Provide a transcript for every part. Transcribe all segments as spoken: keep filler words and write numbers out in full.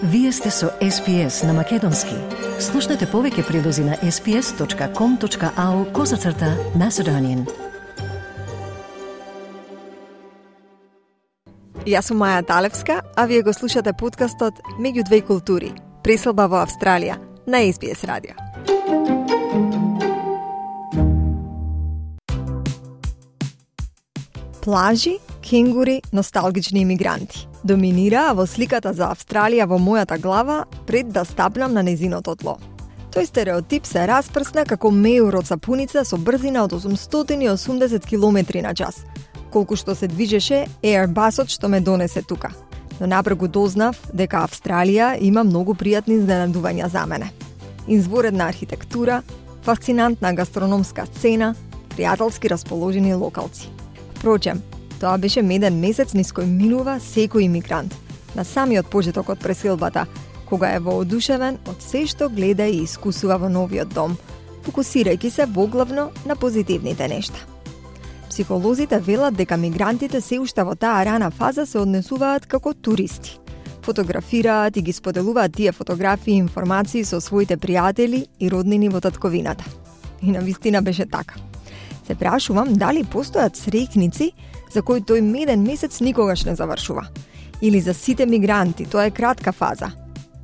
Вие сте со Ес Пи Ес на Македонски. Слушнете повеќе прилози на ес пи ес точка ком точка ау козацрта Macedonian. Јас сум Маја Талевска, а вие го слушате подкастот Меѓу две култури, преселба во Австралија на Ес Би Ес радио. Плажи, кенгури, носталгични имигранти доминираа во сликата за Австралија во мојата глава пред да стапнам на незиното тло. Тој стереотип се распрсна како меур од сапуница со брзина од осумстотини и осумдесет километри на час, колку што се движеше Airbusот што ме донесе тука. Но напрегу дознав дека Австралија има многу пријатни изненадувања за мене. Изворедна архитектура, фасцинантна гастрономска сцена, пријателски расположени локалци. Впрочем, тоа беше меден месец низ кој минува секој имигрант, на самиот почеток од преселбата, кога е воодушевен од се што гледа и искусува во новиот дом, фокусирајќи се воглавно на позитивните нешта. Психолозите велат дека мигрантите се уште во таа рана фаза се однесуваат како туристи. Фотографираат и ги споделуваат тие фотографии и информации со своите пријатели и роднини во татковината. И навистина беше така. Се прашувам дали постојат среќници за кои тој меден месец никогаш не завршува. Или за сите мигранти тоа е кратка фаза,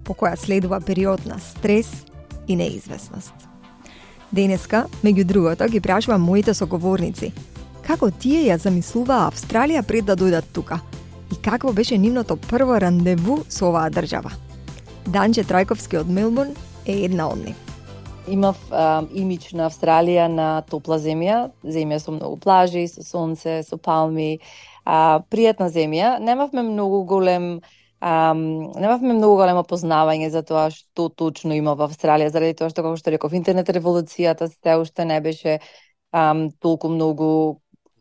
по која следува период на стрес и неизвестност. Денеска, меѓу другото, ги прашувам моите соговорници како тие ја замислуваа Австралија пред да дојдат тука и какво беше нивното прво рандеву со оваа држава. Данче Трајковски од Мелбурн е една од нив. Имав а, имидж на Австралија на топла земја, земја со многу плажи, со сонце, со палми, а, пријатна земја. Немавме многу голем а, немавме многу големо познавање за тоа што точно има во Австралија, заради тоа што, како што реков, интернет револуцијата се уште не беше а, толку многу,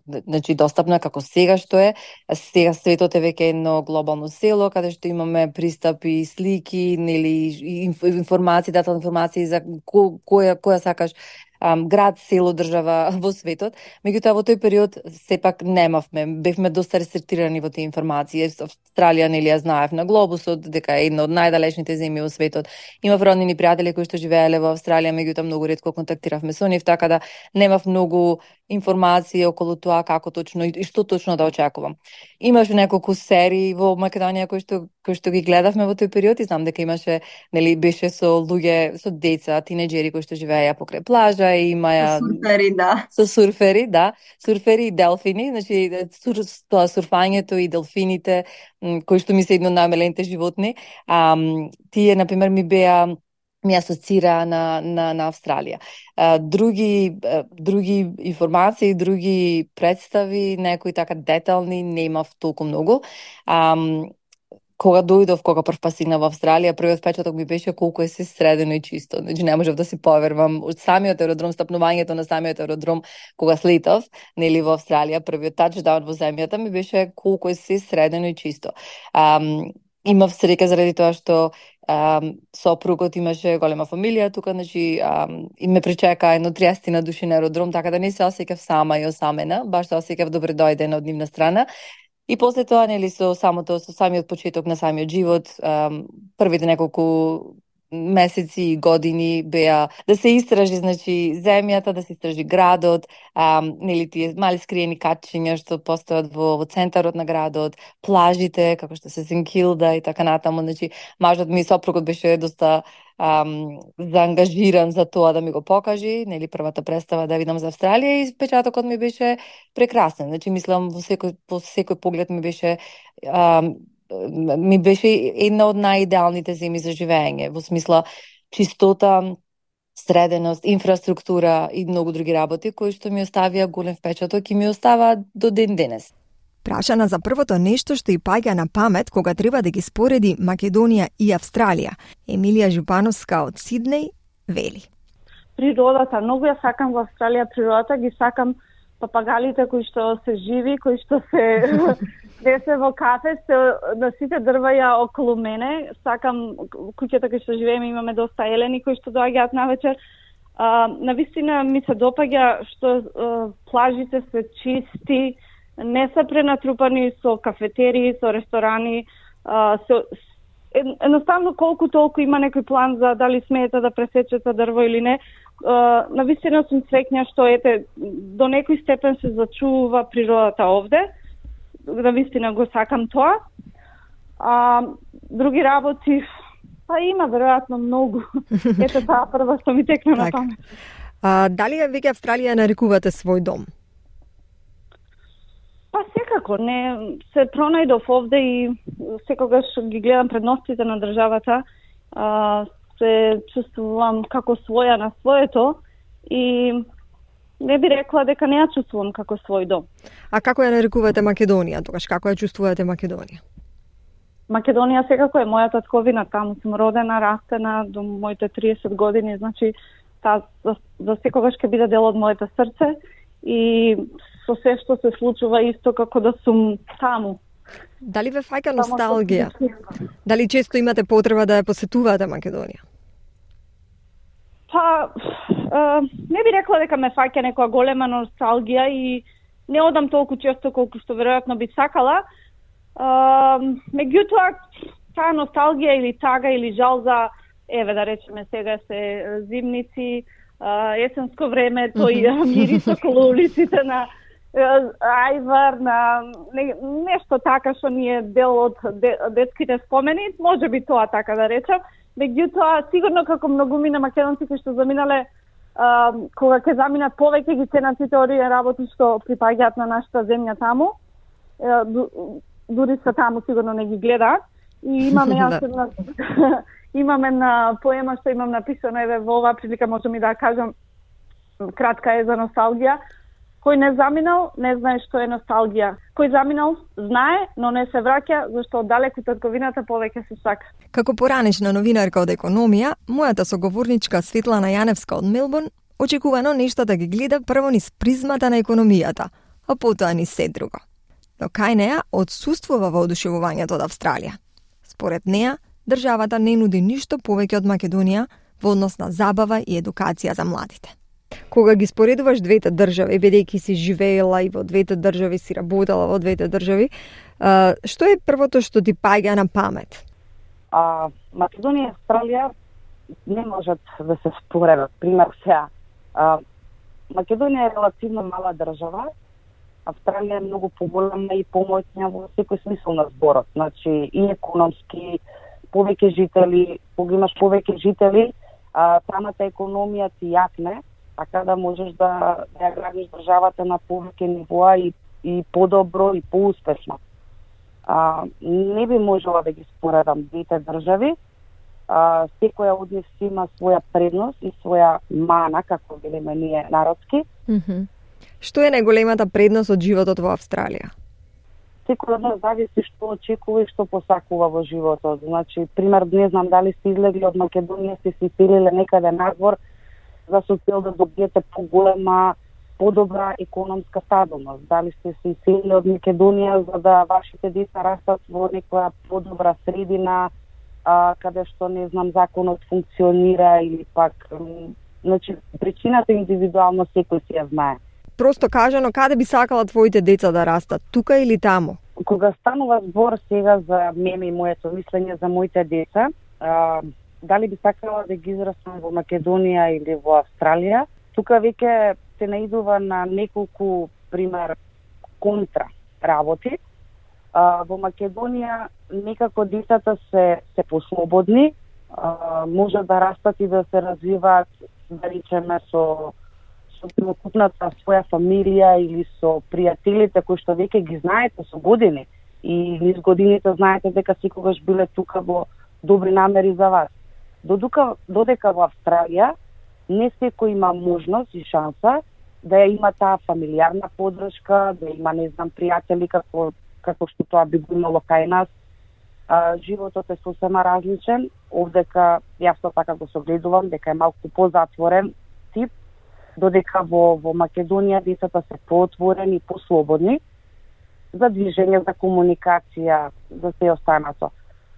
значи достапна како сега што е. Сега светот е веќе едно глобално село каде што имаме пристап и слики, нели информации, дата информации за ко, која која сакаш ам, град, село, држава во светот. Меѓутоа во тој период сепак немавме, бевме доста рестриктирани во тие информации. Австралија нели ја знаев на глобусот дека е една од најдалечните земји во светот. Имав роднини пријатели кои што живееле во Австралија, меѓутоа многу ретко контактиравме со нив, така да немав многу информации околу тоа како точно и што точно да очекувам. Имаше неколку серии во Македонија кои што кои што ги гледавме во тој период и знам дека имаше, нели беше со луѓе, со деца, тинеџери кои што живееја покрај плажа и имаја Со сурфери, да. Со сурфери, да, сурфери и делфини, значи сур, тоа сурфањето и делфините кои што ми се едно најмелените животни, а, тие на пример ми беа ми асоцира на, на, на Австралија. А, други, а, други информации, други представи, некои така детални, немав толку многу. А, кога дојдов, кога прв пат стигнав во Австралија, првиот впечаток ми беше колку е се средено и чисто. Значи не можев да си поверувам од самиот аеродром, стапнувањето на самиот аеродром кога слетов, нели во Австралија, првиот тачдаун во земјата ми беше колку е се средено и чисто. А, имав среќа заради тоа што Um, сопругот имаше голема фамилија тука, значи um, и ме пречека едно триесет на души на аеродром, така да не се осеќав сама и осамена, баш се осеќав добре дојдена од нивна страна. И после тоа, нели, со самото, со самиот почеток на самиот живот, um, првите неколку месеци и години беа да се истражи, значи, земјата, да се истражи градот, ам, нели тие мали скриени катчиња што постојат во, во центарот на градот, плажите, како што се Сент Килда и така натаму, значи, мажот ми, сопругот беше доста ам, заангажиран за тоа да ми го покажи, нели, првата представа да видам за Австралија и впечатокот ми беше прекрасен, значи, мислам, во секој, по секој поглед ми беше ам, ми беше една од најидеалните земји за живење, во смисла чистота, среденост, инфраструктура и многу други работи кои што ми оставија голем впечаток и ми оставаат до ден денес. Прашана за првото нешто што и паѓа на памет кога треба да ги спореди Македонија и Австралија, Емилија Жупановска од Сиднеј вели: Природата, многу ја сакам во Австралија природата, ги сакам папагалите кои што се живи, кои што се де се во кафе, се на сите дрваја околу мене. Сакам куќата кои што живееме, имаме доста елени кои што доаѓаат навечер. А, навистина ми се допаѓа што а, плажите се чисти, не се пренатрупани со кафетерии, со ресторани, а, со едноставно колку толку има некој план за дали смеете да пресечете дрво или не. Навистина сум среќна што ете до некој степен се зачува природата овде. Навистина го сакам тоа. А, други работи, па има веројатно многу. Ете таа прва што ми текна на памет. А, дали веќе Австралија нарекувате свој дом? Па секако, не се пронајдов овде и секогаш ги гледам предностите на државата, а, се чувствувам како своја на своето и не би рекла дека не ја чувствувам како свој дом. А како ја нарекувате Македонија тогаш? Како ја чувствувате Македонија? Македонија секако е моја татковина, таму сум родена, растена до моите триесет години, значи та за, за секогаш ќе биде дел од моето срце и со се што се случува исто како да сум таму. Дали ве фаќа носталгија? Дали често имате потреба да ја посетувате Македонија? Па, е, не би рекла дека ме фаќа некоја голема носталгија и не одам толку често колку што веројатно би сакала. Uh, меѓутоа, таа носталгија или тага или жал за, еве да речеме сега се зимници, uh, есенско време, тој mm-hmm. мирис околу улиците на uh, ајвар, на не, нешто така што ни е дел од де, детските спомени, може би тоа така да речем. Меѓутоа, сигурно како многумина македонци кои што заминале, uh, кога ќе заминат повеќе ги ценат сите овие работи што припаѓаат на нашата земја таму. Uh, дури са таму сигурно не ги гледаат и имаме јас една имаме на поема што имам написано, еве во оваа прилика можам и да кажам, кратка е за носталгија. Кој не заминал, не знае што е носталгија. Кој заминал, знае, но не се враќа, зашто оддалеку татковината повеќе се сака. Како поранешна новинарка од економија, мојата соговорничка Светлана Јаневска од Мелбурн очекувано нешто да ги гледа прво низ призмата на економијата, а потоа низ се друго. Но кај неа отсуствува воодушевувањето од Австралија. Според неа, државата не нуди ништо повеќе од Македонија во однос на забава и едукација за младите. Кога ги споредуваш двете држави, бидејќи си живеела и во двете држави, си работела во двете држави, што е првото што ти паѓа на памет? А, Македонија и Австралија не можат да се споредат. Пример сега, а, Македонија е релативно мала држава, Австралија е многу поголема и помоćна во секој смисол на зборот. Значи, и економски, повеќе жители, кога имаш повеќе жители, а, самата економија ти јакне, така да можеш да, да ја градиш државата на повеќе нивоа и, и подобро и поуспешно. А, не би можела да ги споредам двете држави. А, секоја од нив си има своја предност и своја мана, како велиме ние народски. Mm-hmm. Што е најголемата предност од животот во Австралија? Секој од нас зависи што очекува и што посакува во животот. Значи, пример, не знам дали сте излегли од Македонија, сте се иселиле некаде надвор за со цел да добиете поголема, подобра економска стабилност. Дали сте се иселиле од Македонија за да вашите деца растат во некоја подобра средина, а, каде што, не знам, законот функционира или пак... Значи, причината индивидуално секој си ја знае. Просто кажано, каде би сакала твоите деца да растат, тука или таму? Кога станува збор сега за мене и моето мислење за моите деца, а, дали би сакала да ги израстам во Македонија или во Австралија, тука веќе се наидува на неколку, пример, контра работи. А, во Македонија некако децата се, се послободни, а, може да растат и да се развиваат, да речеме, со со целокупната своја фамилија или со пријателите кои што веќе ги знаете со години и низ годините знаете дека секогаш биле тука во добри намери за вас. Додека, додека во Австралија не секој има можност и шанса да ја има таа фамилиарна поддршка, да има, не знам, пријатели како, како што тоа би го имало кај нас. А, животот е сосема различен, овдека јас така го согледувам дека е малку позатворен тип, додека во, во Македонија децата се поотворени и послободни за движење, за комуникација, за се останато.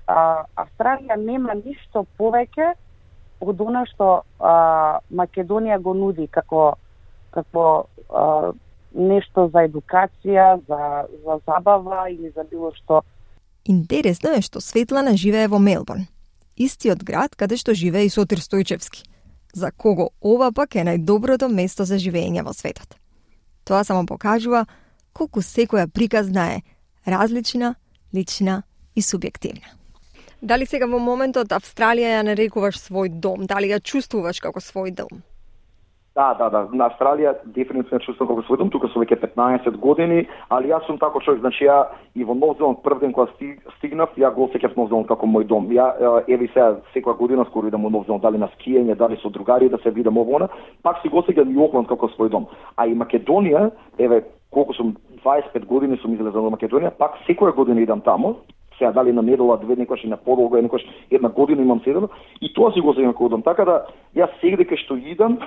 А, Австралија нема ништо повеќе од она што а, Македонија го нуди како, како а, нешто за едукација, за, за забава или за било што. Интересно е што Светлана живее во Мелбурн, истиот град каде што живее и Сотир Стојчевски, за кого ова пак е најдоброто место за живење во светот. Тоа само покажува колку секоја приказна е различна, лична и субјективна. Дали сега во моментот Австралија ја нарекуваш свој дом? Дали ја чувствуваш како свој дом? Да, да, да. На Австралија дефинитивно чувствувам како свој дом, тука сум веќе петнаесет години, али јас сум тако човек, значи ја и во Нов Зеланд прв ден кога стигнав, ја го осеќав Нов Зеланд како мој дом. Ја еви сега секоја година скоро идам во Нов Зеланд, дали на скиење, дали со другари да се видам ово она, пак си го осеќам и Окланд како свој дом. А и Македонија, еве колку сум дваесет и пет години сум излезал во Македонија, пак секоја година идам тамо. Сега дали на недела, две, некојаш и на подолго, некојаш една година имам седено и тоа си го осеќам како дом. Така да јас сега кај што идам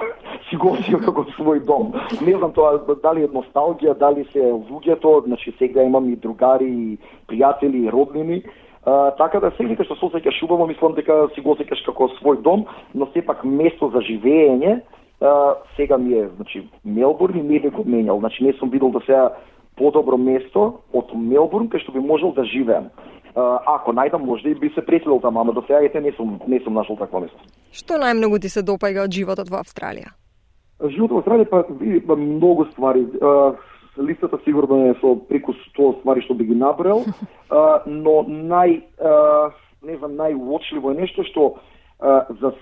си го осеќам како свој дом. Не знам тоа дали е носталгија, дали се луѓето, значи сега имам и другари, и пријатели, и роднини. Uh, така да сега кај што се осеќаш убаво, мислам дека си го осеќаш како свој дом, но сепак место за живење uh, сега ми е, значи Мелбурн и не би го менјал. Значи не сум видел да сега подобро место од Мелбурн кај што би можел да живеам. Uh, ако најдам, можда и би се преселил таму, ама до сега ете не сум не сум нашол такво место. Што најмногу ти се допаѓа од животот во Австралија? Животот во Австралија па има многу ствари. Uh, листата сигурно е со преку сто ствари што би ги набрал, uh, но нај uh, не знам најуочливо е нешто што uh, за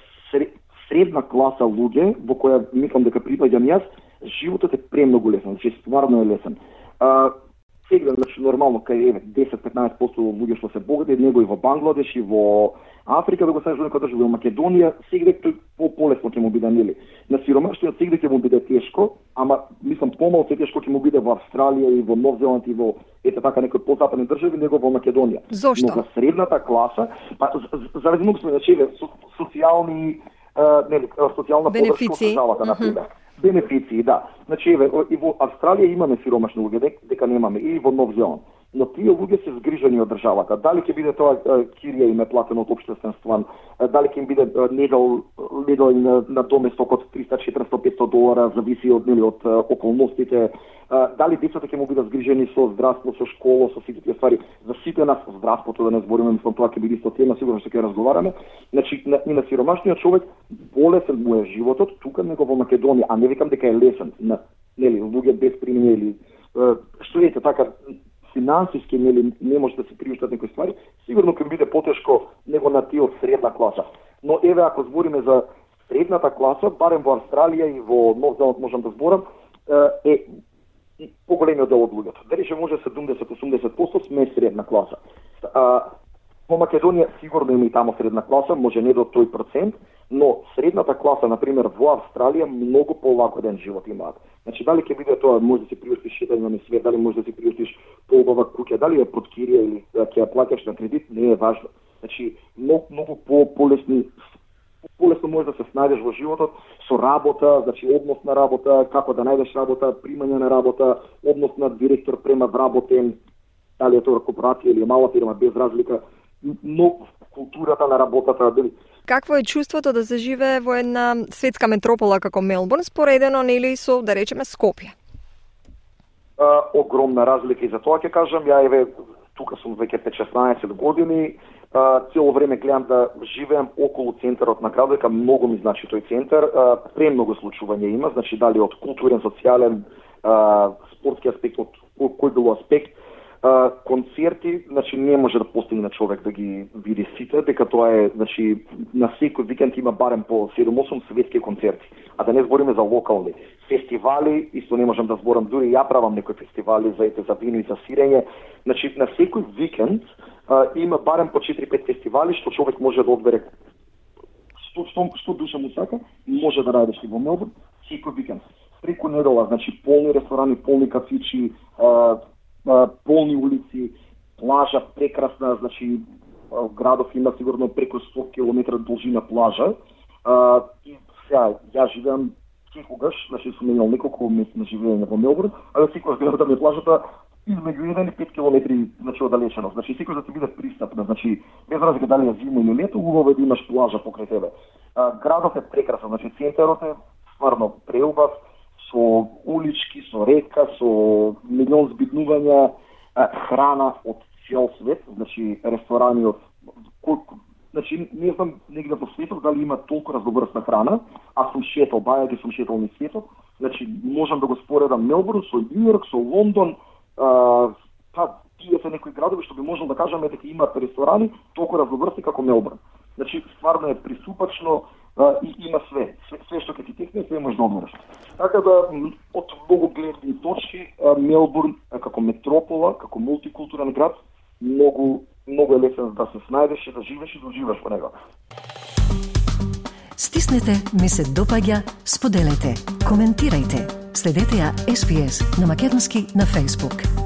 средна класа луѓе во која мислам дека припаѓам јас, животот е премногу лесен, значи стварно е лесен. Uh, Сега, значи, нормално, кај десет до петнаесет проценти луѓе што се богати, него и во Бангладеш, и во Африка, да го сајаш некој држава, во Македонија, сега тој по-полесно ќе му биде, нели. На сиромаштиот сега ќе му биде тешко, ама, мислам, помалку тешко ќе му биде во Австралија и во Нов Зеланд и во, ете така, некои по-западни држави, него во Македонија. Зошто? Но за средната класа, па, заради многу сме, значи, социјални, нели, социјална подршка од државата, например. Бенефиции, да. Значи, еве, и во Австралија имаме сиромашни луѓе, дека, дека немаме, и во Нов Зеланд. Но тие луѓе се згрижени од државата. Дали ќе биде тоа кирија им е платено од општествен стван, дали ќе им биде недел, недел на, на доместок од триста, четиристо, петстотини долара, зависи од, нели, од околностите, дали децата ќе му бидат згрижени со здравство, со школа, со сите тие ствари. За сите нас здравството, да не збориме, мислам, тоа ќе биде исто тема, сигурно што ќе разговараме. Значи, на, и на сиромашниот човек болесен му е животот, тука него во Македонија, а не викам дека е лесен, на, нели, луѓе без примење или што ете така финансиски, нели, не може да се приуштат некои ствари, сигурно ќе биде потешко него на тие од средна класа. Но еве ако збориме за средната класа, барем во Австралија и во Нов Зеланд можам да зборам, е поголемиот дел од луѓето. Дали ќе може седумдесет до осумдесет проценти сме средна класа. А, во Македонија сигурно има и тамо средна класа, може не до тој процент, но средната класа, например, во Австралија многу полагоден живот имаат. Значи, дали ќе биде тоа, може да си приуштиш шетање на свет, дали може да си приуштиш поубава куќа, дали е под кирија или ќе ја плаќаш на кредит, не е важно. Значи, многу, многу по полесни полесно може да се снајдеш во животот со работа, значи однос на работа, како да најдеш работа, примање на работа, однос на директор према вработен, дали е тоа корпорација или мала фирма, без разлика, но културата на работата, дали. Какво е чувството да се живее во една светска метропола како Мелбурн, споредено нели со, да речеме, Скопје? А, огромна разлика и за тоа ќе кажам, ја еве тука сум веќе пет-шеснаесет години, а, цело време гледам да живеам околу центарот на градот, дека многу ми значи тој центар, а, премногу случувања има, значи дали од културен, социјален, а, спортски аспект, од кој било аспект. Uh, концерти, значи не може да постигне човек да ги види сите, дека тоа е, значи на секој викенд има барем по седум-осум светски концерти, а да не збориме за локални фестивали, исто не можам да зборам, дури ја правам некои фестивали за ете за вино и за сирење. Значи на секој викенд uh, има барем по четири-пет фестивали што човек може да одбере што што, што душа му сака, може да радиш и во Мелбурн секој викенд. Преку недела, значи полни ресторани, полни кафичи, uh, полни улици, плажа прекрасна, значи градов има сигурно преку сто километри должина плажа. А, и сега ја живеам секогаш, значи сум имал неколку месеци на живење во Мелбурн, а секогаш гледам да ми плажата измеѓу еден и пет километри, значи оддалеченост. Значи секогаш да ти биде пристапна, значи без разлика дали е зима или лето, убаво е да имаш плажа покрај тебе. А, градот е прекрасен, значи центарот е стварно преубав, со улички, со река, со милион збитнувања, храна од цел свет, значи ресторани од кој, значи не знам негде по светот дали има толку разноврсна храна, а сум шетал, бајаги сум шетал низ светот, значи можам да го споредам Мелбурн со Њујорк, со Лондон, а, па тие се некои градови што би можел да кажеме дека имаат ресторани толку разноврсни како Мелбурн. Значи стварно е присупачно а, и има све, све, све што ќе ти текне, све можеш да одмориш. Така да од многу гледни точки Мелбурн како метропола, како мултикултурен град, многу многу е лесен да се снајдеш и да живееш и да уживаш во него. Стиснете, ми се допаѓа, споделете, коментирајте. Следете ја Ес Би Ес на македонски на Facebook.